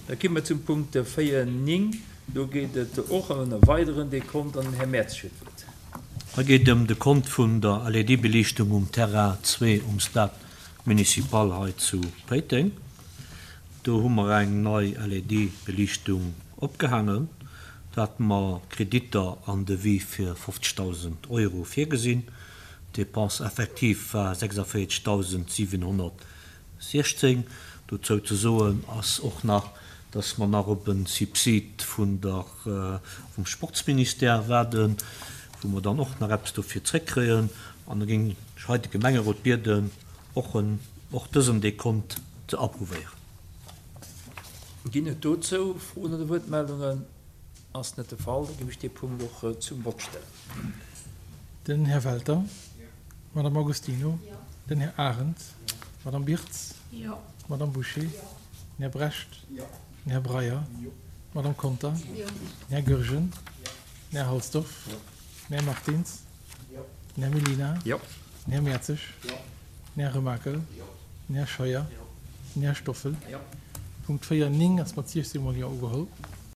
Da gi mer zum Punkt 4, 9. Do geet et och ëm e weideren Dekont an den Här Mertz huet d'Wuert. Hei geet et ëm de Kont vun der LED-Beliichtung um Terrain 2 um Stade Municipal hei zu Péiteng. Do hu mer eng nei LED-Beliichtung opgehaangen. Do hate mer Kreditter an Devis fir 50.000 Euro virgesinn. D'Dépense effective war 46.716. Dozou ze soen ass och nach, dass mer nach op e Subsid vun der, vum Sportsministère waarden, wou mer dann och nach eppes dofir zréckkréien. An da géing ech hei de Gemengerot bieden, och en, och dësen Dekont ze approuvéieren. Ginn et dozou Froen oder Wuertmeldungen? Ass net de Fall. Da géif ech dee Punkt och zum Vott stellen. Den Här Welter. D'Madame Agostino. Den Här Arendt. D'Madame Birtz. D'Madame Bouché. Den Här Brecht. Den Här Breyer. D'Madame Conter. Den Här Goergen. Den Här Halsdorf. Den Här Martins. Den Här Mellina. Den Här Mertzig. Den Här Remakel. Den Här Scheuer. Den Här Stoffel. Punkt 4, 9 ass mat 16 mol Jo ugeholl.